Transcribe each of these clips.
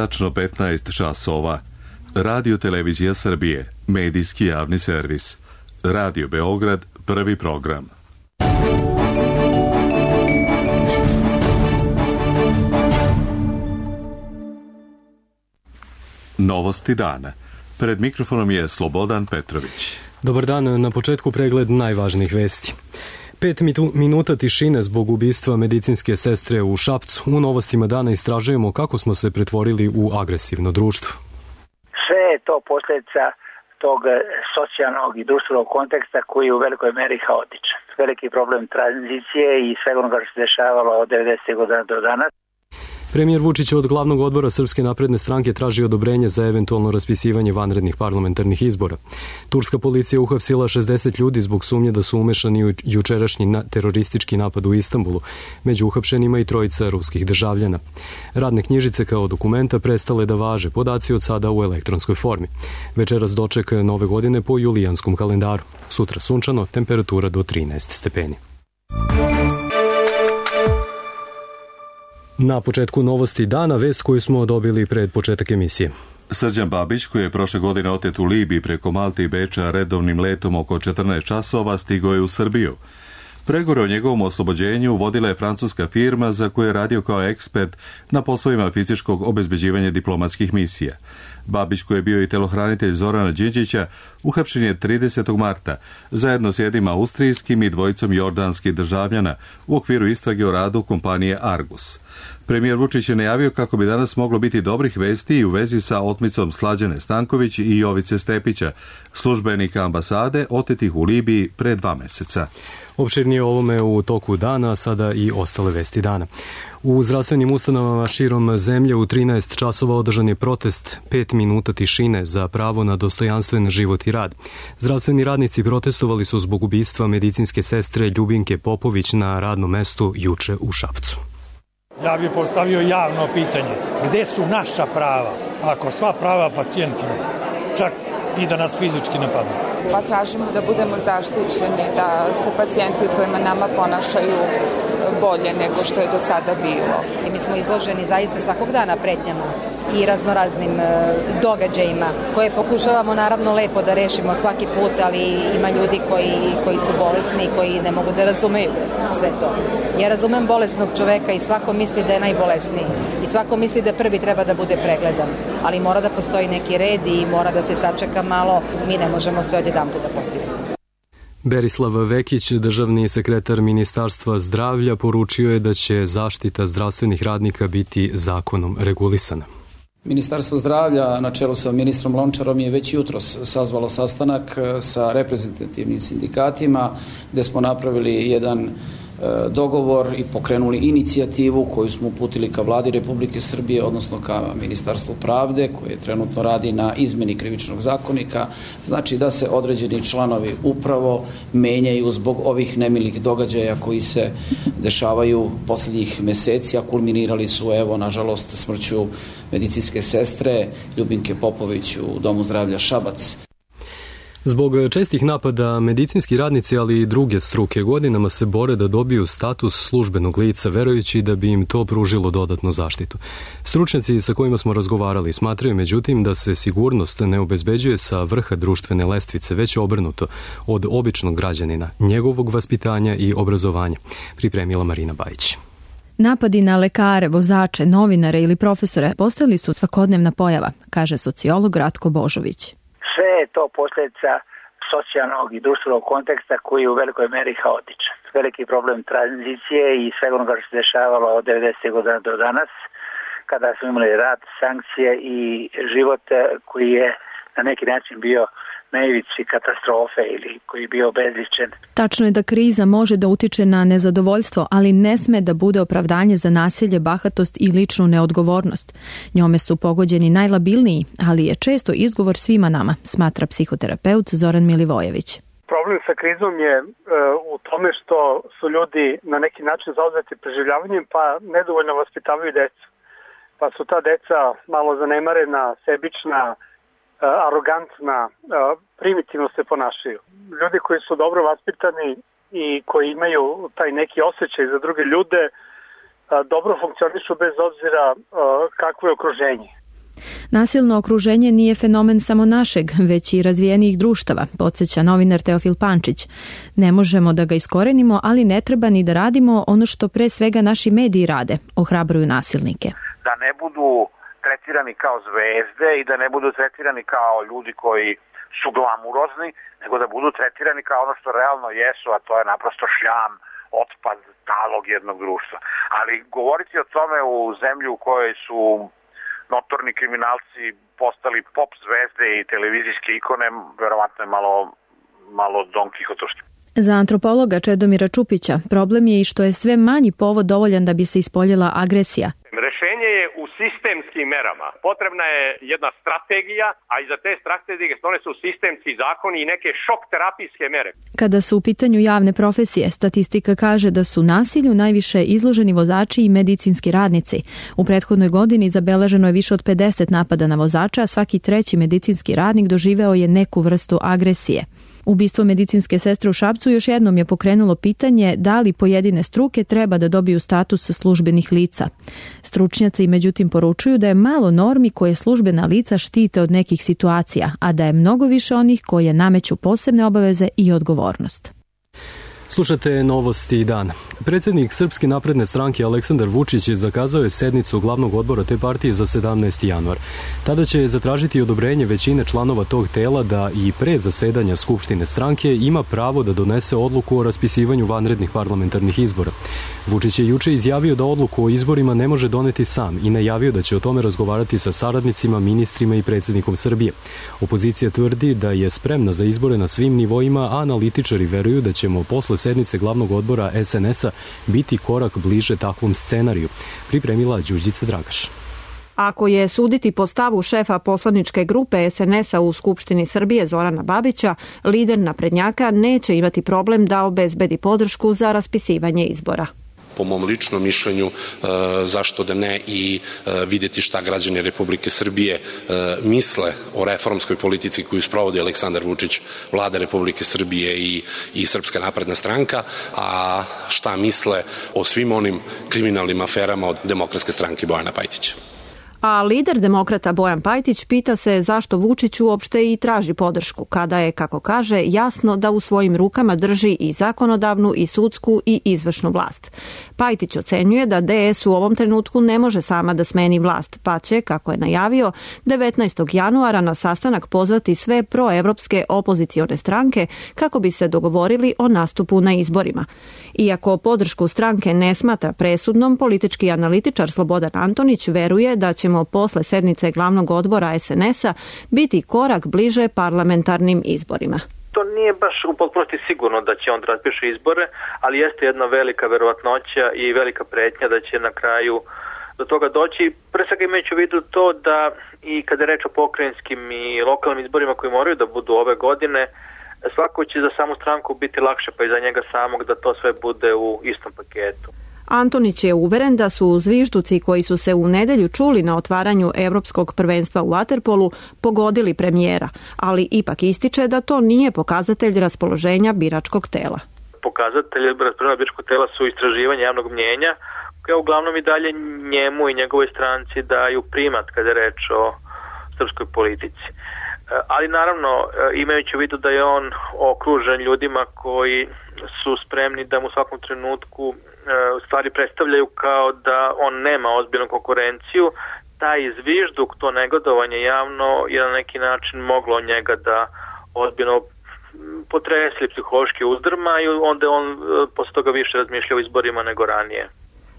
tačno 15 časova. Radio Televizija Srbije, medijski javni servis. Radio Beograd, prvi program. Novosti dana. Pred mikrofonom je Slobodan Petrović. Dobar dan, na početku pregled najvažnijih vesti. 5 minuta tišine zbog ubistva medicinske sestre u Šapcu. U novostima dana istražujemo kako smo se pretvorili u agresivno društvo. Sve je to posljedica tog socijalnog i društvenog konteksta koji je u velikoj meri haotičan. Veliki problem tranzicije i svega onoga što se dešavalo od 90. godina do danas. Premijer Vučić od glavnog odbora Srpske napredne stranke traži odobrenje za eventualno raspisivanje vanrednih parlamentarnih izbora. Turska policija uhapsila 60 ljudi zbog sumnje da su umešani u jučerašnji teroristički napad u Istanbulu. Među uhapšenima i trojica ruskih državljana. Radne knjižice kao dokumenta prestale da važe, podaci od sada u elektronskoj formi. Večeras doček nove godine po julijanskom kalendaru. Sutra sunčano, temperatura do 13 stepeni. Na početku novosti dana, vest koju smo dobili pred početak emisije. Srđan Babić, koji je prošle godine otet u Libiji preko Malte i Beča redovnim letom oko 14 časova, stigao je u Srbiju. Pregovore o njegovom oslobođenju vodila je francuska firma za koju je radio kao ekspert na poslovima fizičkog obezbeđivanja diplomatskih misija. Babić, koji je bio i telohranitelj Zorana Đinđića, uhapšen je 30. marta, zajedno s jednim austrijskim i dvojicom jordanskih državljana u okviru istrage o radu kompanije Argus. Premijer Vučić je najavio kako bi danas moglo biti dobrih vesti i u vezi sa otmicom Slađane Stanković i Jovice Stepića, službenika ambasade otetih u Libiji pre 2 meseca. Opširnije o ovome u toku dana, sada i ostale vesti dana. U zdravstvenim ustanovama širom zemlje u 13 časova održan je protest 5 minuta tišine za pravo na dostojanstven život i rad. Zdravstveni radnici protestovali su zbog ubistva medicinske sestre Ljubinke Popović na radnom mestu juče u Šapcu. Ja bih postavio javno pitanje. Gde su naša prava? Ako sva prava pacijentima, čak i da nas fizički napadnu. Pa tražimo da budemo zaštićeni, da se pacijenti prema nama ponašaju bolje nego što je do sada bilo. I mi smo izloženi zaista svakog dana pretnjama i raznoraznim događajima koje pokušavamo naravno lepo da rešimo svaki put, ali ima ljudi koji su bolesni, koji ne mogu da razumeju sve to. Ja razumem bolesnog čoveka i svako misli da je najbolesniji i svako misli da prvi treba da bude pregledan, ali mora da postoji neki red i mora da se sačeka malo, mi ne možemo sve odjedanput da postignemo. Berislav Vekić, državni sekretar Ministarstva zdravlja, poručio je da će zaštita zdravstvenih radnika biti zakonom regulisana. Ministarstvo zdravlja na čelu sa ministrom Lončarom je već jutros sazvalo sastanak sa reprezentativnim sindikatima gde smo napravili jedan dogovor i pokrenuli inicijativu koju smo uputili ka Vladi Republike Srbije, odnosno ka Ministarstvu pravde, koje trenutno radi na izmeni krivičnog zakonika. Znači da se određeni članovi upravo menjaju zbog ovih nemilih događaja koji se dešavaju poslednjih meseci, a kulminirali su, evo, nažalost, smrću medicinske sestre Ljubinke Popović u Domu zdravlja Šabac. Zbog čestih napada, medicinski radnici, ali i druge struke godinama se bore da dobiju status službenog lica, verujući da bi im to pružilo dodatnu zaštitu. Stručnjaci sa kojima smo razgovarali smatraju, međutim, da se sigurnost ne obezbeđuje sa vrha društvene lestvice, već obrnuto, od običnog građanina, njegovog vaspitanja i obrazovanja, pripremila Marina Bajić. Napadi na lekare, vozače, novinare ili profesore postali su svakodnevna pojava, kaže sociolog Ratko Božović. Sve je to posljedica socijalnog i društvenog konteksta koji je u velikoj meri haotičan. Veliki problem tranzicije i svega onoga što se dešavalo od 90. godina do danas, kada smo imali rat, sankcije i život koji je na neki način bio na ivici katastrofe ili koji je bio bezličen. Tačno je da kriza može da utiče na nezadovoljstvo, ali ne sme da bude opravdanje za nasilje, bahatost i ličnu neodgovornost. Njome su pogođeni najlabilniji, ali je često izgovor svima nama, smatra psihoterapeut Zoran Milivojević. Problem sa krizom je u tome što su ljudi na neki način zauzeti preživljavanjem, pa nedovoljno vaspitavaju decu. Pa su ta deca malo zanemarena, sebična, arogantna, primitivno se ponašaju. Ljudi koji su dobro vaspitani i koji imaju taj neki osjećaj za druge ljude dobro funkcionišu bez obzira kakvo je okruženje. Nasilno okruženje nije fenomen samo našeg, već i razvijenijih društava, podsjeća novinar Teofil Pančić. Ne možemo da ga iskorenimo, ali ne treba ni da radimo ono što pre svega naši mediji rade, ohrabruju nasilnike. Da ne budu tretirani kao zvezde i da ne budu tretirani kao ljudi koji su glamurozni, nego da budu tretirani kao ono što realno jesu, a to je naprosto šljam, otpad, talog jednog društva. Ali govoriti o tome u zemlji u kojoj su notorni kriminalci postali pop zvezde i televizijske ikone, verovatno je malo Don Kihotovski. Za antropologa Čedomira Čupića problem je i što je sve manji povod dovoljan da bi se ispoljila agresija. Rešenje je u sistemskim merama. Potrebna je jedna strategija, a iza te strategije one su sistemski zakoni i neke šok terapijske mere. Kada su u pitanju javne profesije, statistika kaže da su nasilju najviše izloženi vozači i medicinski radnici. U prethodnoj godini zabeleženo je više od 50 napada na vozača, a svaki treći medicinski radnik doživeo je neku vrstu agresije. Ubistvo medicinske sestre u Šapcu još jednom je pokrenulo pitanje da li pojedine struke treba da dobiju status službenih lica. Stručnjaci međutim poručuju da je malo normi koje službena lica štite od nekih situacija, a da je mnogo više onih koje nameću posebne obaveze i odgovornost. Slušate Novosti dan. Predsjednik Srpske napredne stranke Aleksandar Vučić zakazao je sednicu glavnog odbora te partije za 17. januar. Tada će zatražiti odobrenje većine članova tog tela da i pre zasedanja Skupštine stranke ima pravo da donese odluku o raspisivanju vanrednih parlamentarnih izbora. Vučić je juče izjavio da odluku o izborima ne može doneti sam i najavio da će o tome razgovarati sa saradnicima, ministrima i predsjednikom Srbije. Opozicija tvrdi da je spremna za izbore na svim nivoima, a analitičari veruju da ćemo posle sednice glavnog odbora SNS-a biti korak bliže takvom scenariju, pripremila Đurđica Dragaš. Ako je suditi po stavu šefa poslaničke grupe SNS-a u Skupštini Srbije Zorana Babića, lider naprednjaka neće imati problem da obezbedi podršku za raspisivanje izbora. Po mom ličnom mišljenju, zašto da ne i vidjeti šta građani Republike Srbije misle o reformskoj politici koju sprovodi Aleksandar Vučić, vlada Republike Srbije i Srpska napredna stranka, a šta misle o svim onim kriminalnim aferama od Demokratske stranke Bojana Pajtića. A lider demokrata Bojan Pajtić pita se zašto Vučić uopšte i traži podršku, kada je, kako kaže, jasno da u svojim rukama drži i zakonodavnu i sudsku i izvršnu vlast. Pajtić ocenjuje da DS u ovom trenutku ne može sama da smeni vlast, pa će, kako je najavio, 19. januara na sastanak pozvati sve proevropske opozicione stranke kako bi se dogovorili o nastupu na izborima. Iako podršku stranke ne smatra presudnom, politički analitičar Slobodan Antonić veruje da ćemo posle sednice glavnog odbora SNS-a biti korak bliže parlamentarnim izborima. To nije baš u potpunosti sigurno da će on da raspiše izbore, ali jeste jedna velika verovatnoća i velika pretnja da će na kraju do toga doći. Pre svega imajući u vidu to da i kada je reč o pokrajinskim i lokalnim izborima koji moraju da budu ove godine, svako će za samu stranku biti lakše, pa i za njega samog da to sve bude u istom paketu. Antonić je uveren da su zvižduci koji su se u nedelju čuli na otvaranju Evropskog prvenstva u vaterpolu pogodili premijera, ali ipak ističe da to nije pokazatelj raspoloženja biračkog tela. Pokazatelj raspoloženja biračkog tela su istraživanje javnog mnjenja, koje uglavnom i dalje njemu i njegovoj stranci daju primat kada je reč o srpskoj politici. Ali naravno, imajući u vidu da je on okružen ljudima koji su spremni da mu u svakom trenutku stvari predstavljaju kao da on nema ozbiljnu konkurenciju, taj zvižduk, to negodovanje javno je na neki način moglo njega da ozbiljno potresli psihološki uzdrma i onda on posle toga više razmišlja o izborima nego ranije.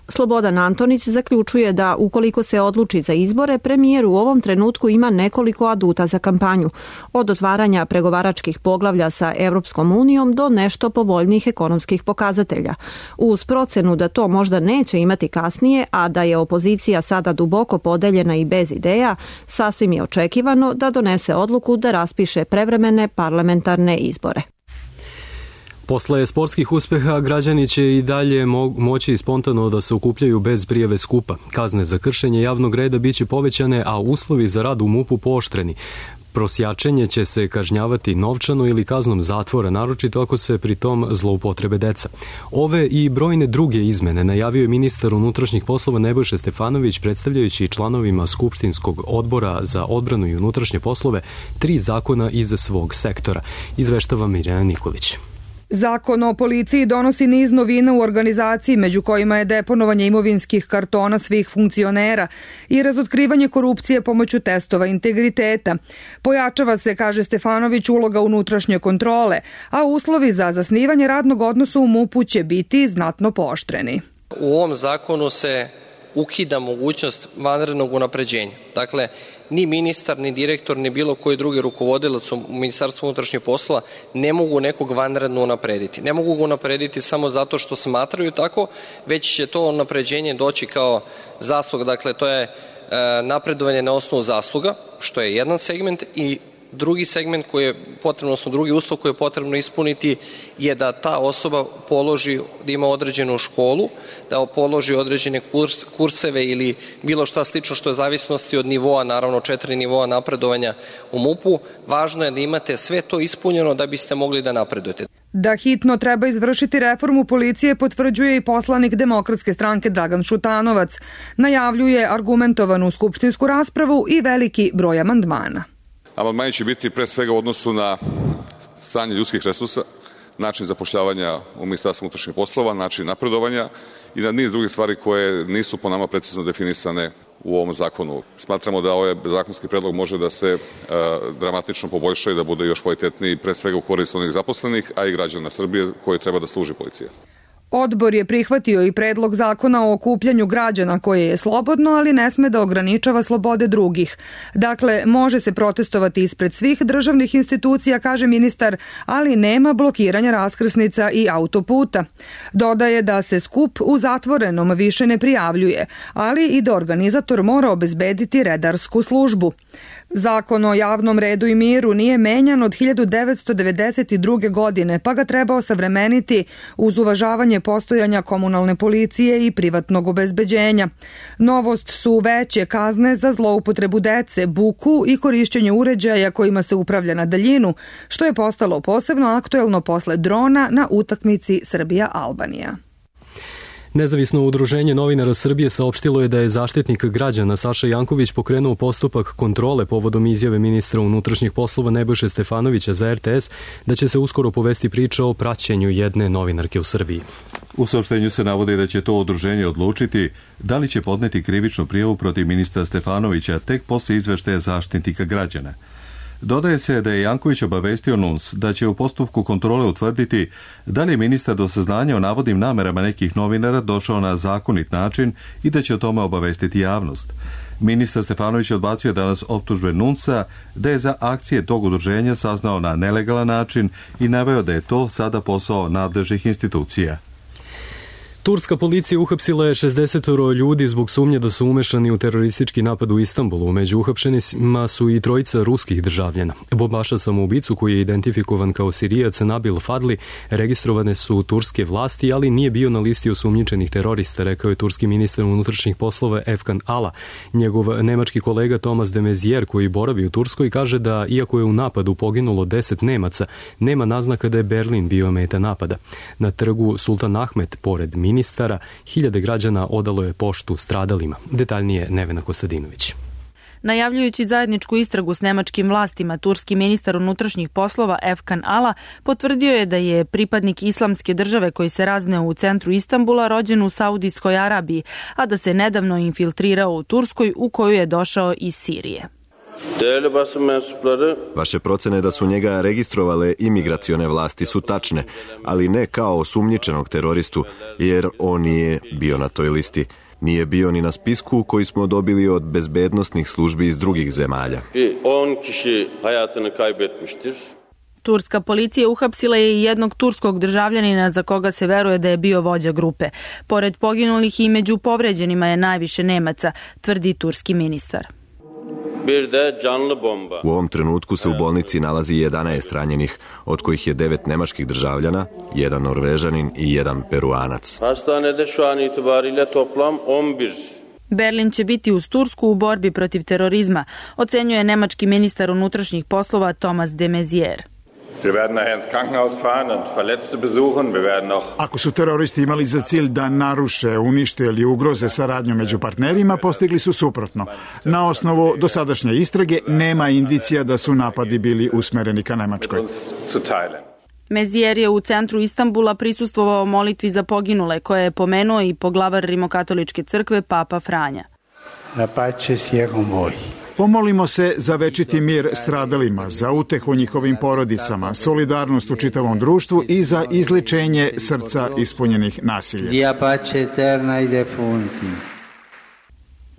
Slobodan Antonić zaključuje da ukoliko se odluči za izbore, premijer u ovom trenutku ima nekoliko aduta za kampanju, od otvaranja pregovaračkih poglavlja sa Evropskom unijom do nešto povoljnijih ekonomskih pokazatelja. Uz procenu da to možda neće imati kasnije, a da je opozicija sada duboko podeljena i bez ideja, sasvim je očekivano da donese odluku da raspiše prevremene parlamentarne izbore. Posle sportskih uspeha građani će i dalje moći spontano da se okupljaju bez prijave skupa. Kazne za kršenje javnog reda biće povećane, a uslovi za rad u MUP-u pooštreni. prosjačenje će se kažnjavati novčano ili kaznom zatvora, naročito ako se pri tom zloupotrebe deca. Ove i brojne druge izmene najavio je ministar unutrašnjih poslova Nebojša Stefanović, predstavljajući članovima Skupštinskog odbora za odbranu i unutrašnje poslove 3 zakona iz svog sektora. Izveštava Mirjana Nikolić. Zakon o policiji donosi niz novina u organizaciji, među kojima je deponovanje imovinskih kartona svih funkcionera i razotkrivanje korupcije pomoću testova integriteta. Pojačava se, kaže Stefanović, uloga unutrašnje kontrole, a uslovi za zasnivanje radnog odnosa u MUP-u će biti znatno pooštreni. U ovom zakonu se ukida mogućnost vanrednog unapređenja. Dakle, ni ministar, ni direktor, ni bilo koji drugi rukovodilac u Ministarstvu unutrašnjih poslova ne mogu nekog vanredno unaprediti. Ne mogu ga unaprediti samo zato što smatraju tako, već će to unapređenje doći kao zasluga. Dakle, to je napredovanje na osnovu zasluga, što je jedan segment, i drugi segment koji je potrebno, odnosno drugi uslov koji je potrebno ispuniti je da ta osoba položi, da ima određenu školu, da položi određene kurseve ili bilo šta slično što je zavisnosti od nivoa, naravno 4 nivoa napredovanja u MUP-u. Važno je da imate sve to ispunjeno da biste mogli da napredujete. Da hitno treba izvršiti reformu policije potvrđuje i poslanik Demokratske stranke Dragan Šutanovac. Najavljuje argumentovanu skupštinsku raspravu i veliki broj amandmana. Amandmani će biti pre svega u odnosu na stanje ljudskih resursa, način zapošljavanja u Ministarstvu unutrašnjih poslova, način napredovanja i na niz drugih stvari koje nisu po nama precizno definisane u ovom zakonu. Smatramo da ovaj zakonski predlog može da se dramatično poboljša i da bude još kvalitetniji, pre svega u korist onih zaposlenih, a i građana Srbije koji treba da služi policija. Odbor je prihvatio i predlog zakona o okupljanju građana koje je slobodno, ali ne sme da ograničava slobode drugih. Dakle, može se protestovati ispred svih državnih institucija, kaže ministar, ali nema blokiranja raskrsnica i autoputa. Dodaje da se skup u zatvorenom više ne prijavljuje, ali i da organizator mora obezbediti redarsku službu. Zakon o javnom redu i miru nije menjan od 1992. godine, pa ga treba osavremeniti uz uvažavanje postojanja komunalne policije i privatnog obezbeđenja. Novost su veće kazne za zloupotrebu dece, buku i korišćenje uređaja kojima se upravlja na daljinu, što je postalo posebno aktuelno posle drona na utakmici Srbija-Albanija. Nezavisno udruženje novinara Srbije saopštilo je da je Zaštitnik građana Saša Janković pokrenuo postupak kontrole povodom izjave ministra unutrašnjih poslova Nebojše Stefanovića za RTS da će se uskoro povesti priča o praćenju jedne novinarke u Srbiji. U saopštenju se navodi da će to udruženje odlučiti da li će podneti krivičnu prijavu protiv ministra Stefanovića tek posle izveštaja Zaštitnika građana. Dodaje se da je Janković obavestio NUNS da će u postupku kontrole utvrditi da li je ministar do saznanja o navodnim namerama nekih novinara došao na zakonit način i da će o tome obavestiti javnost. Ministar Stefanović odbacio danas optužbe NUNS-a da je za akcije tog udruženja saznao na nelegalan način i naveo da je to sada posao nadležnih institucija. Turska policija uhapsila je 60 ljudi zbog sumnje da su umešani u teroristički napad u Istanbulu. Među uhapšenima su i 3 ruskih državljana. Bombaša samoubicu, koji je identifikovan kao Sirijac Nabil Fadli, registrovane su turske vlasti, ali nije bio na listi osumnjičenih terorista, rekao je turski ministar unutrašnjih poslova Efkan Ala. Njegov nemački kolega Thomas de Maizière, koji boravi u Turskoj, kaže da iako je u napadu poginulo 10 Nemaca, nema naznaka da je Berlin bio meta napada. Na trgu Sultan Ahmet, pored ministara, hiljade građana odalo je poštu stradalima. Detaljnije Nevena Kostadinović. Najavljujući zajedničku istragu s nemačkim vlastima, turski ministar unutrašnjih poslova Efkan Ala potvrdio je da je pripadnik islamske države koji se razneo u centru Istanbula rođen u Saudijskoj Arabiji, a da se nedavno infiltrirao u Turskoj, u koju je došao iz Sirije. Vaše procene da su njega registrovale imigracione vlasti su tačne, ali ne kao osumnjičenog teroristu, jer on nije bio na toj listi. Nije bio ni na spisku koji smo dobili od bezbednosnih službi iz drugih zemalja. Turska policija uhapsila je i jednog turskog državljanina za koga se veruje da je bio vođa grupe. Pored poginulih i među povređenima je najviše Nemaca, tvrdi turski ministar. U ovom trenutku se u bolnici nalazi 11 ranjenih, od kojih je 9 nemačkih državljana, 1 Norvežanin i 1 Peruanac. Berlin će biti uz Tursku u borbi protiv terorizma, ocenjuje nemački ministar unutrašnjih poslova Thomas de Maizière. Ako su teroristi imali za cilj da naruše, unište ili ugroze saradnju među partnerima, postigli su suprotno. Na osnovu dosadašnje istrage nema indicija da su napadi bili usmereni ka Nemačkoj. Maizière je u centru Istanbula prisustvovao molitvi za poginule, koje je pomenuo i poglavar Rimokatoličke crkve Papa Franja. La pace sia con voi. Pomolimo se za večiti mir stradalima, za utehu njihovim porodicama, solidarnost u čitavom društvu i za izlečenje srca ispunjenih nasilja. Dia pace eterna ai defunti.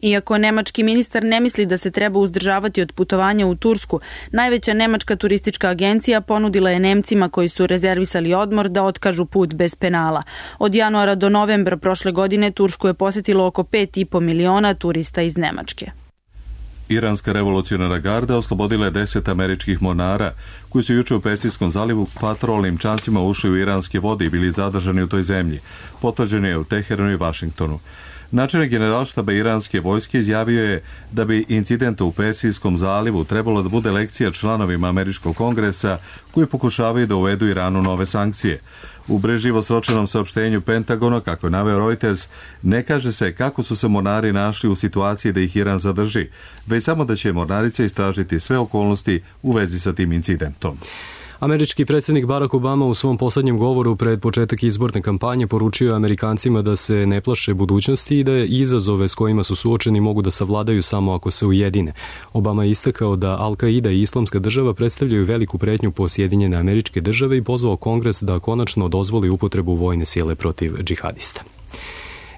Iako nemački ministar ne misli da se treba uzdržavati od putovanja u Tursku, najveća nemačka turistička agencija ponudila je Nemcima koji su rezervisali odmor da otkažu put bez penala. Od januara do novembra prošle godine Tursku je posetilo oko 5,5 miliona turista iz Nemačke. Iranska revolucionarna garda oslobodila je 10 američkih mornara koji su juče u Persijskom zalivu patrolnim čamcima ušli u iranske vode i bili zadržani u toj zemlji. Potvrđeno je u Teheranu i Vašingtonu. Načelnik generalštaba iranske vojske izjavio je da bi incident u Persijskom zalivu trebalo da bude lekcija članovima američkog kongresa koji pokušavaju da uvedu Iranu nove sankcije. U breživo sročenom saopštenju Pentagona, kako je naveo Reuters, ne kaže se kako su se mornari našli u situaciji da ih Iran zadrži, već samo da će mornarica istražiti sve okolnosti u vezi sa tim incidentom. Američki predsjednik Barack Obama u svom posljednjem govoru pred početak izborne kampanje poručio Amerikancima da se ne plaše budućnosti i da je izazove s kojima su suočeni mogu da savladaju samo ako se ujedine. Obama je istakao da Al-Qaida i Islamska država predstavljaju veliku pretnju po Sjedinjene Američke Države i pozvao Kongres da konačno dozvoli upotrebu vojne sile protiv džihadista.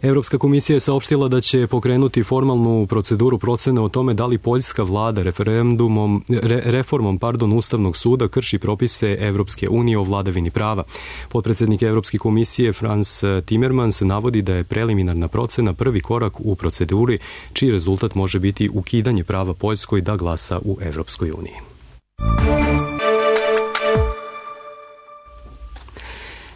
Europska komisija je saopštila da će pokrenuti formalnu proceduru procene o tome da li poljska vlada reformom Ustavnog suda krši propise Evropske unije o vladavini prava. Potpredsjednik Europske komisije Frans Timmermans navodi da je preliminarna procena prvi korak u proceduri čiji rezultat može biti ukidanje prava Poljskoj da glasa u Evropskoj uniji.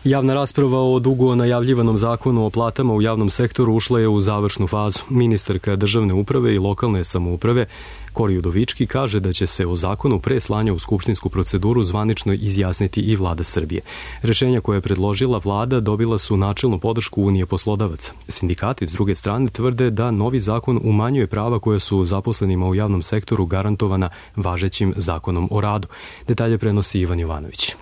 Javna rasprava o dugo najavljivanom zakonu o platama u javnom sektoru ušla je u završnu fazu. Ministarka državne uprave i lokalne samouprave Kori Udovički kaže da će se o zakonu pre slanja u skupštinsku proceduru zvanično izjasniti i vlada Srbije. Rešenja koje je predložila vlada dobila su načelnu podršku Unije poslodavaca. Sindikati s druge strane tvrde da novi zakon umanjuje prava koja su zaposlenima u javnom sektoru garantovana važećim zakonom o radu. Detalje prenosi Ivan Jovanović.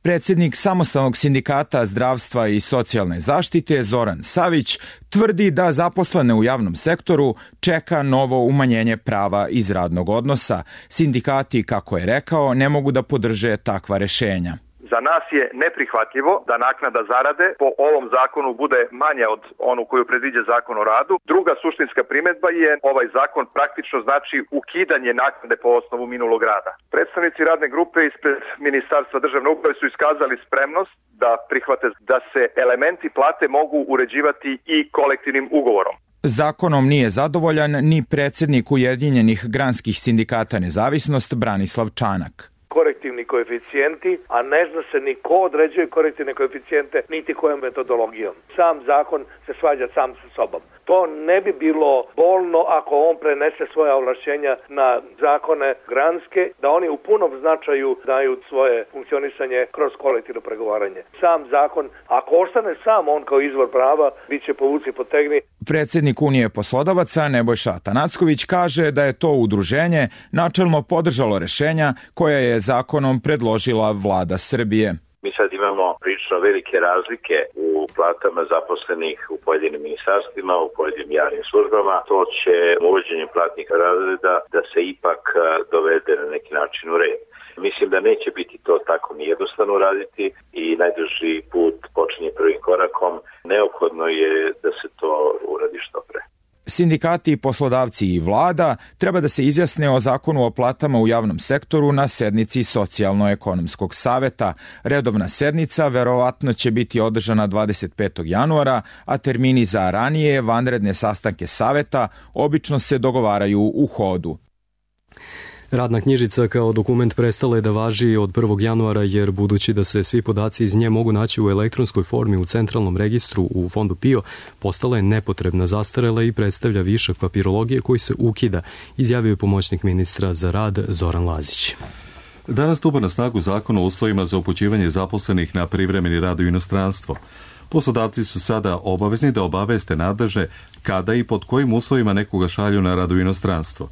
Predsjednik Samostalnog sindikata zdravstva i socijalne zaštite Zoran Savić tvrdi da zaposlene u javnom sektoru čeka novo umanjenje prava iz radnog odnosa. Sindikati, kako je rekao, ne mogu da podrže takva rešenja. Za nas je neprihvatljivo da naknada zarade po ovom zakonu bude manja od onu koju predviđa zakon o radu. Druga suštinska primedba je ovaj zakon praktično znači ukidanje naknade po osnovu minulog rada. Predstavnici radne grupe ispred Ministarstva državne uprave su iskazali spremnost da prihvate da se elementi plate mogu uređivati i kolektivnim ugovorom. Zakonom nije zadovoljan ni predsjednik Ujedinjenih granskih sindikata Nezavisnost Branislav Čanak. Korektivni koeficijenti, a ne zna se ni ko određuje korektivne koeficijente, niti kojom metodologijom. Sam zakon se svađa sam sa sobom. To ne bi bilo bolno ako on prenese svoja ovlašćenja na zakone granske, da oni u punom značaju daju svoje funkcionisanje kroz kolektivno pregovaranje. Sam zakon, ako ostane sam on kao izvor prava, bit će povuci potegni. Predsjednik Unije poslodavaca Nebojša Atanacković kaže da je to udruženje načelno podržalo rešenja koja je zakonom predložila vlada Srbije. Mi sad imamo prilično velike razlike u platama zaposlenih u pojedinim ministarstvima, u pojedinim javnim službama. To će uvođenjem platnih razreda da se ipak dovede na neki način u red. Mislim da neće biti to tako ni jednostavno raditi i najduži put počinje prvim korakom. Neophodno je da se to uradi što pre. Sindikati, poslodavci i vlada treba da se izjasne o zakonu o platama u javnom sektoru na sednici Socijalno-ekonomskog saveta. Redovna sednica verovatno će biti održana 25. januara, a termini za ranije vanredne sastanke saveta obično se dogovaraju u hodu. Radna knjižica kao dokument prestala je da važi od 1. januara jer budući da se svi podaci iz nje mogu naći u elektronskoj formi u centralnom registru u fondu PIO, postala je nepotrebna, zastarela i predstavlja višak papirologije koji se ukida, izjavio je pomoćnik ministra za rad Zoran Lazić. Danas stupa na snagu zakon o uslovima za upućivanje zaposlenih na privremeni rad u inostranstvo. Poslodavci su sada obavezni da obaveste nadležne kada i pod kojim uslovima nekoga šalju na rad u inostranstvo.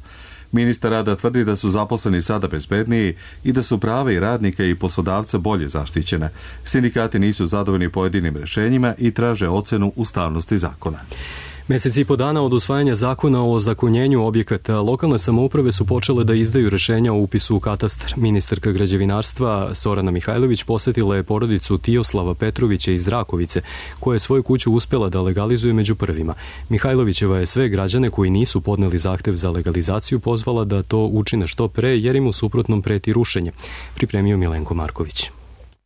Ministar rada tvrdi da su zaposleni sada bezbedniji i da su prava i radnika i poslodavca bolje zaštićene. Sindikati nisu zadovoljni pojedinim rešenjima i traže ocenu ustavnosti zakona. Mesec i po dana od usvajanja zakona o ozakonjenju objekata, lokalne samouprave su počele da izdaju rešenja o upisu u katastar. Ministarka građevinarstva Zorana Mihajlović posetila je porodicu Tijoslava Petrovića iz Rakovice, koja je svoju kuću uspela da legalizuje među prvima. Mihajlovićeva je sve građane koji nisu podneli zahtev za legalizaciju pozvala da to učine što pre, jer im u suprotnom preti rušenje. Pripremio Milenko Marković.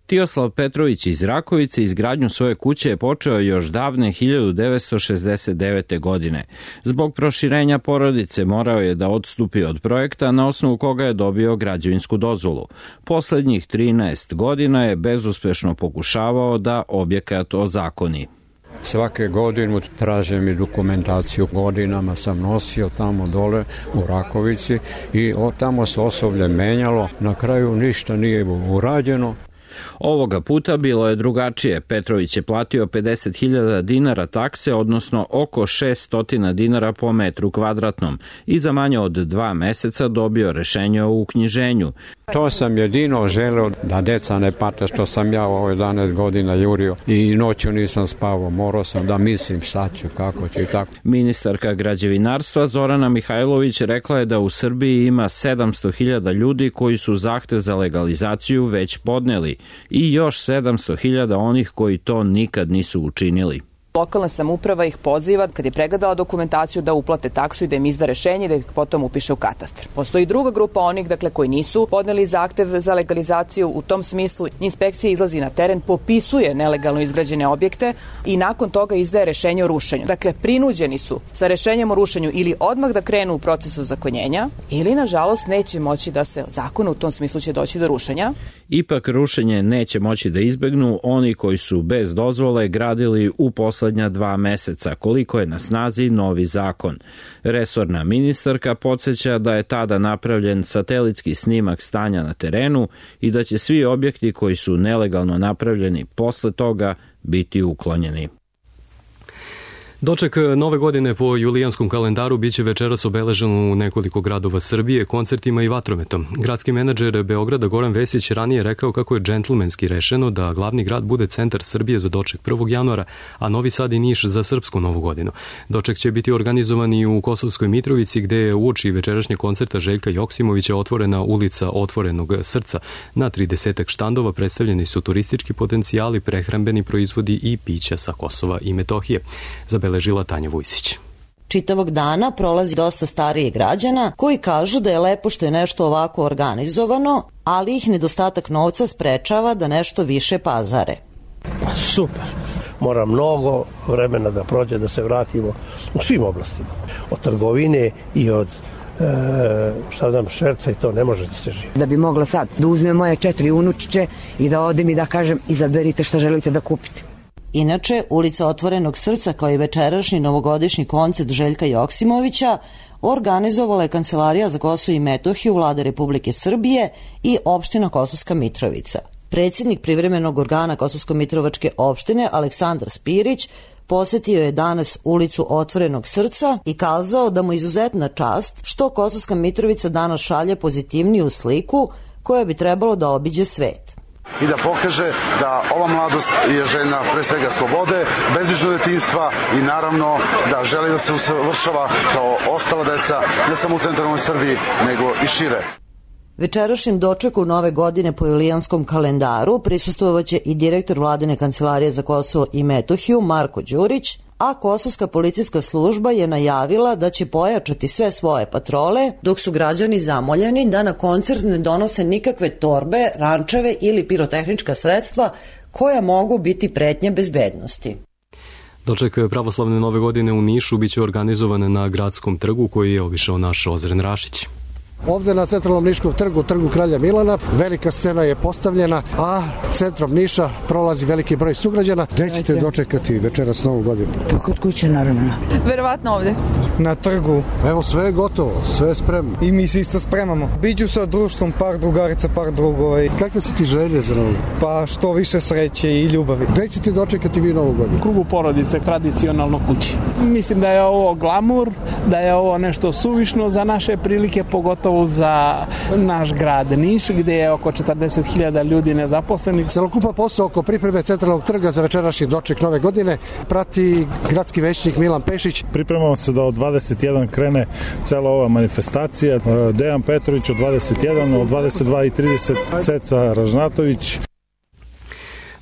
Tijoslav Petrović iz Rakovice izgradnju svoje kuće je počeo još davne 1969. godine. Zbog proširenja porodice morao je da odstupi od projekta na osnovu koga je dobio građevinsku dozvolu. Poslednjih 13 godina je bezuspešno pokušavao da objekat ozakoni. Svake godine traže mi dokumentaciju, godinama sam nosio tamo dole u Rakovici i tamo se osoblje menjalo, na kraju ništa nije urađeno. Ovoga puta bilo je drugačije. Petrović je platio 50.000 dinara takse, odnosno oko 600 dinara po metru kvadratnom i za manje od 2 meseca dobio rešenje o uknjiženju. To sam jedino želeo da deca ne pate što sam ja ovo 11 godina jurio i noću nisam spavao, morao sam da mislim šta ću, kako ću i tako. Ministarka građevinarstva Zorana Mihajlović rekla je da u Srbiji ima 700.000 ljudi koji su zahtev za legalizaciju već podneli i još 700.000 onih koji to nikad nisu učinili. Lokalna samouprava ih poziva, kad je pregledala dokumentaciju, da uplate taksu i da im izda rešenje i da ih potom upiše u katastar. Postoji druga grupa onih, koji nisu podneli zahtev za legalizaciju. U tom smislu inspekcija izlazi na teren, popisuje nelegalno izgrađene objekte i nakon toga izdaje rešenje o rušenju. Dakle, prinuđeni su sa rešenjem o rušenju ili odmah da krenu u proces ozakonjenja ili, nažalost, neće moći da se zakonu, u tom smislu će doći do rušenja. Ipak rušenje neće moći da izbegnu oni koji su bez dozvole gradili u poslednja 2 meseca, koliko je na snazi novi zakon. Resorna ministarka podsjeća da je tada napravljen satelitski snimak stanja na terenu i da će svi objekti koji su nelegalno napravljeni posle toga biti uklonjeni. Doček nove godine po julijanskom kalendaru biće večeras obeležen u nekoliko gradova Srbije koncertima i vatrometom. Gradski menadžer Beograda Goran Vesić ranije rekao kako je džentlmenski rešeno da glavni grad bude centar Srbije za doček 1. januara, a Novi Sad i Niš za srpsku novu godinu. Doček će biti organizovan i u Kosovskoj Mitrovici, gde je uoči večerašnjeg koncerta Željka Joksimovića otvorena ulica Otvorenog srca. Na 30 štandova predstavljeni su turistički potencijali, prehrambeni proizvodi i pića sa Kosova i Metohije. Zabeležila Tanja Vujsić. Čitavog dana prolazi dosta starijih građana koji kažu da je lepo što je nešto ovako organizovano, ali ih nedostatak novca sprečava da nešto više pazare. Super. Mora mnogo vremena da prođe da se vratimo u svim oblastima. Od trgovine i od šerca i to ne može da se živi. Da bi mogla sad da uzmem moje 4 unučiće i da odem i da kažem izaberite šta želite da kupite. Inače, ulica Otvorenog srca kao i večerašnji novogodišnji koncert Željka Joksimovića organizovala je Kancelarija za Kosovo i Metohiju Vlade Republike Srbije i opština Kosovska Mitrovica. Predsjednik privremenog organa Kosovsko-Mitrovačke opštine Aleksandar Spirić posetio je danas ulicu Otvorenog srca i kazao da mu izuzetna čast što Kosovska Mitrovica danas šalje pozitivniju sliku koja bi trebalo da obiđe svet. I da pokaže da ova mladost je željna pre svega slobode, bezbrižnog detinjstva i naravno da želi da se usavršava kao ostala deca, ne samo u centralnoj Srbiji, nego i šire. Večerašnjem dočeku nove godine po julijanskom kalendaru prisustvovaće i direktor Vladine Kancelarije za Kosovo i Metohiju Marko Đurić, a Kosovska policijska služba je najavila da će pojačati sve svoje patrole, dok su građani zamoljeni da na koncert ne donose nikakve torbe, rančeve ili pirotehnička sredstva koja mogu biti pretnje bezbednosti. Doček pravoslavne nove godine u Nišu biće organizovan na Gradskom trgu koji je obišao naš Ozren Rašić. Ovde na centralnom Niškom trgu, trgu Kralja Milana, velika scena je postavljena, a centrom Niša prolazi veliki broj sugrađana. Gde ćete dočekati večeras Novu godinu? Pa kod kuće, naravno. Verovatno ovde. Na trgu. Evo, sve je gotovo, sve je spremno. I mi se isto spremamo. Biću sa društvom, par drugarica, par drugova. Kakve su ti želje za Novu? Pa što više sreće i ljubavi. Gde ćete dočekati vi Novu godinu? U krugu porodice, tradicionalno kući. Mislim da je ovo glamur, da je ovo nešto suvišno za naše prilike, pogotovo za naš grad Niš, gde je oko 40.000 ljudi nezaposlenih. Celokupan posao oko pripreme centralnog trga za večerašnji doček Nove godine prati gradski većnik Milan Pešić. Pripremamo se da od 21 krene cela ova manifestacija. Dejan Petrović od 21, od 22:30 Ceca Ražnatović.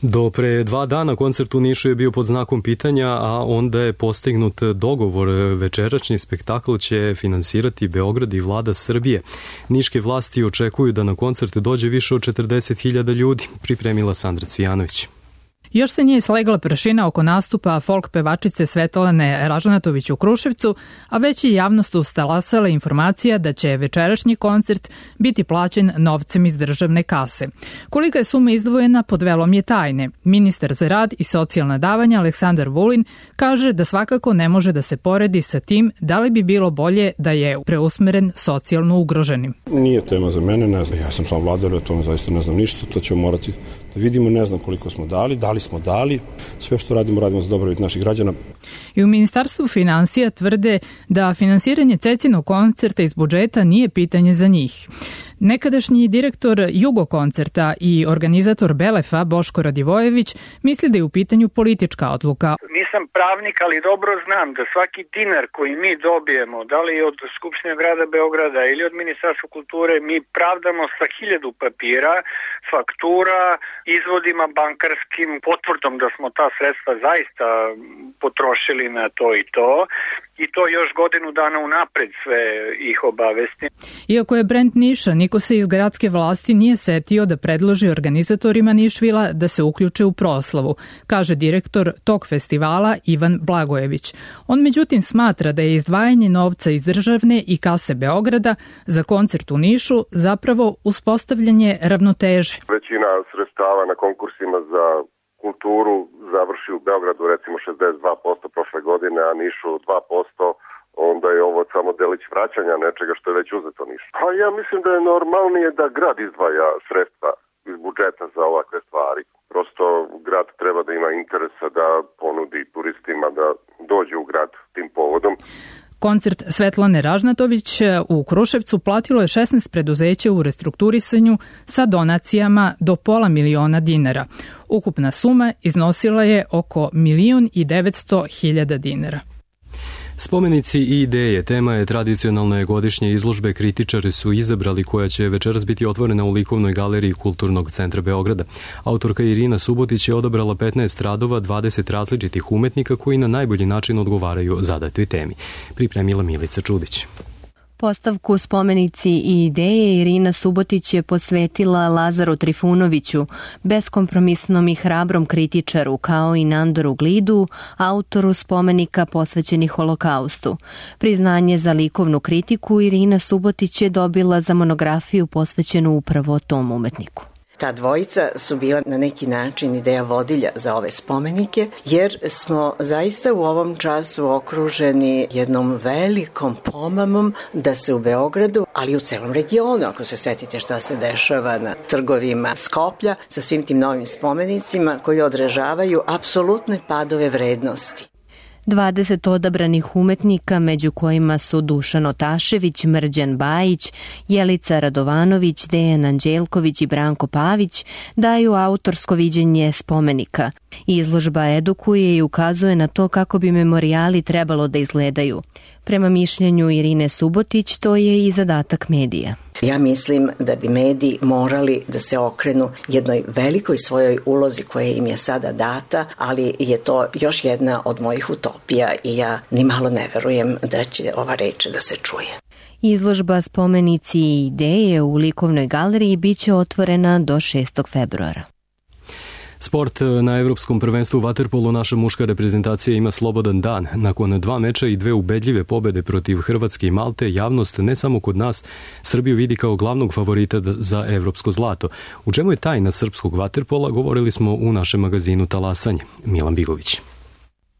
Do pre 2 dana koncert u Nišu je bio pod znakom pitanja, a onda je postignut dogovor. Večerašnji spektakl će finansirati Beograd i vlada Srbije. Niške vlasti očekuju da na koncert dođe više od 40.000 ljudi, pripremila Sandra Cvijanović. Još se nije slegla prašina oko nastupa folk pevačice Svetlane Ražnatović u Kruševcu, a već je javnost ustalasala informacija da će večerašnji koncert biti plaćen novcem iz državne kase. Kolika je suma izdvojena pod velom je tajne. Ministar za rad i socijalna davanja Aleksandar Vulin kaže da svakako ne može da se poredi sa tim da li bi bilo bolje da je preusmeren socijalno ugroženim. Nije tema za mene, ne znam. Ja sam član vlade, o tome zaista ne znam ništa, to ćemo morati da vidimo, ne znam koliko smo dali, smo dali, sve što radimo za dobrobit naših građana. I u Ministarstvu finansija tvrde da finansiranje Cecinog koncerta iz budžeta nije pitanje za njih. Nekadašnji direktor Jugo koncerta i organizator Belefa Boško Radivojević misli da je u pitanju politička odluka. Nisam pravnik, ali dobro znam da svaki dinar koji mi dobijemo, da li od Skupštine grada Beograda ili od Ministarstva kulture, mi pravdamo sa 1000 papira, faktura, izvodima bankarskim, potvrdom da smo ta sredstva zaista potrošili na to i to. I to još godinu dana unapred sve ih obavesti. Iako je brend Niša, niko se iz gradske vlasti nije setio da predloži organizatorima Nišvila da se uključe u proslavu, kaže direktor tog festivala Ivan Blagojević. On međutim smatra da je izdvajanje novca iz državne i kase Beograda za koncert u Nišu zapravo uspostavljanje ravnoteže. Većina sredstava na konkursima za kulturu završi u Beogradu recimo 62% prošle godine, a Nišu 2%, onda je ovo samo delić vraćanja nečega što je već uzeto Nišu. Pa ja mislim da je normalnije da grad izdvaja sredstva iz budžeta za ovakve stvari. Prosto grad treba da ima interesa da ponudi turistima da dođe u grad tim povodom. Koncert Svetlane Ražnatović u Kruševcu platilo je 16 preduzeća u restrukturisanju sa donacijama do $500.000. Ukupna suma iznosila je oko 1.900.000 dinara. Spomenici i ideje, tema je tradicionalne godišnje izložbe Kritičari su izabrali, koja će večeras biti otvorena u likovnoj galeriji Kulturnog centra Beograda. Autorka Irina Subotić je odabrala 15 radova 20 različitih umetnika koji na najbolji način odgovaraju zadatoj temi. Pripremila Milica Čudić. Postavku Spomenici i ideje Irina Subotić je posvetila Lazaru Trifunoviću, beskompromisnom i hrabrom kritičaru, kao i Nandoru Glidu, autoru spomenika posvećenih Holokaustu. Priznanje za likovnu kritiku Irina Subotić je dobila za monografiju posvećenu upravo tom umetniku. Ta dvojica su bila na neki način ideja vodilja za ove spomenike, jer smo zaista u ovom času okruženi jednom velikom pomamom da se u Beogradu, ali i u celom regionu, ako se setite šta se dešava na trgovima Skoplja, sa svim tim novim spomenicima koji odražavaju apsolutne padove vrednosti. 20 odabranih umetnika, među kojima su Dušan Otašević, Mrđan Bajić, Jelica Radovanović, Dejan Anđelković i Branko Pavić, daju autorsko viđenje spomenika. Izložba edukuje i ukazuje na to kako bi memorijali trebalo da izgledaju. Prema mišljenju Irine Subotić, to je i zadatak medija. Ja mislim da bi mediji morali da se okrenu jednoj velikoj svojoj ulozi koja im je sada data, ali je to još jedna od mojih utopija i ja ni malo ne verujem da će ova reč da se čuje. Izložba Spomenici i ideje u likovnoj galeriji biće otvorena do 6. februara. Sport. Na Evropskom prvenstvu u vaterpolu naša muška reprezentacija ima slobodan dan. Nakon 2 meča i 2 ubedljive pobede protiv Hrvatske i Malte, javnost ne samo kod nas Srbiju vidi kao glavnog favorita za evropsko zlato. U čemu je tajna srpskog vaterpola, govorili smo u našem magazinu Talasanje. Milan Bigović.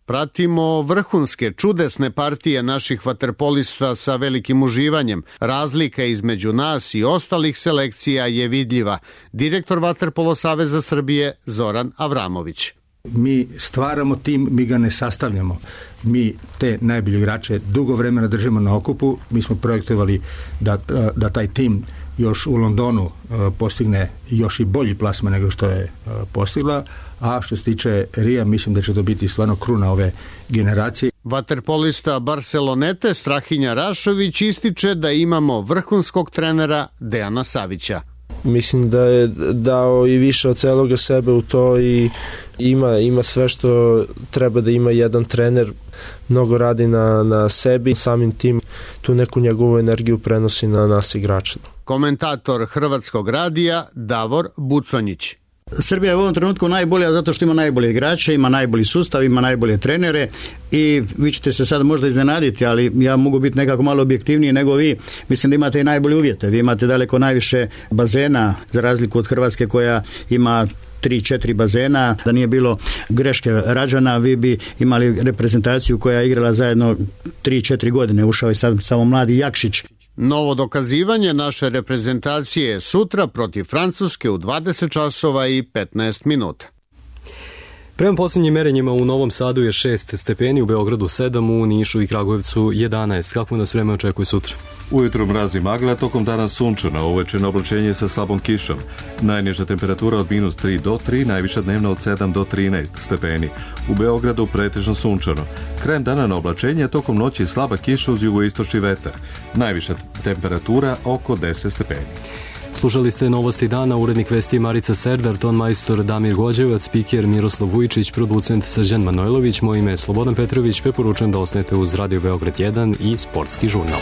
Pratimo vrhunske, čudesne partije naših vaterpolista sa velikim uživanjem. Razlika između nas i ostalih selekcija je vidljiva. Direktor Vaterpolo Saveza Srbije Zoran Avramović. Mi stvaramo tim, mi ga ne sastavljamo. Mi te najbolje igrače dugo vremena držimo na okupu. Mi smo projektovali da taj tim još u Londonu postigne još i bolji plasman nego što je postigla, a što se tiče Rija, mislim da će to biti stvarno kruna ove generacije. Vaterpolista Barcelonete Strahinja Rašović ističe da imamo vrhunskog trenera Dejana Savića. Mislim da je dao i više od celoga sebe u to i ima sve što treba da ima jedan trener. Mnogo radi na sebi, samim tim tu neku njegovu energiju prenosi na nas igrače. Komentator Hrvatskog radija Davor Buconjić. Srbija je u ovom trenutku najbolja zato što ima najbolje igrače, ima najbolji sustav, ima najbolje trenere i vi ćete se sad možda iznenaditi, ali ja mogu biti nekako malo objektivniji nego vi. Mislim da imate i najbolje uvjete. Vi imate daleko najviše bazena za razliku od Hrvatske koja ima 3-4 bazena. Da nije bilo greške rađana, vi bi imali reprezentaciju koja je igrala zajedno 3-4 godine. Ušao je sad samo mladi Jakšić. Novo dokazivanje naše reprezentacije sutra protiv Francuske u 20 časova i 15 minuta. Prema posljednjim merenjima u Novom Sadu je 6 stepeni, u Beogradu 7, u Nišu i Kragujevcu 11. Kako nas vreme očekuje sutra? Ujutru mraz i magla, tokom dana sunčano, uveče oblačenje sa slabom kišom. Najniža temperatura od -3 do 3, najviša dnevna od 7 do 13 stepeni. U Beogradu pretežno sunčano. Krajem dana na oblačenje, tokom noći slaba kiša uz jugoistočni vetar. Najviša temperatura oko 10 stepeni. Slušali ste Novosti dana, urednik vesti Marica Serdar, ton majstor Damir Gođevac, spiker Miroslav Vujčić, producent Srđan Manojlović, moje ime je Slobodan Petrović, preporučujem da ostanete uz Radio Beograd 1 i Sportski žurnal.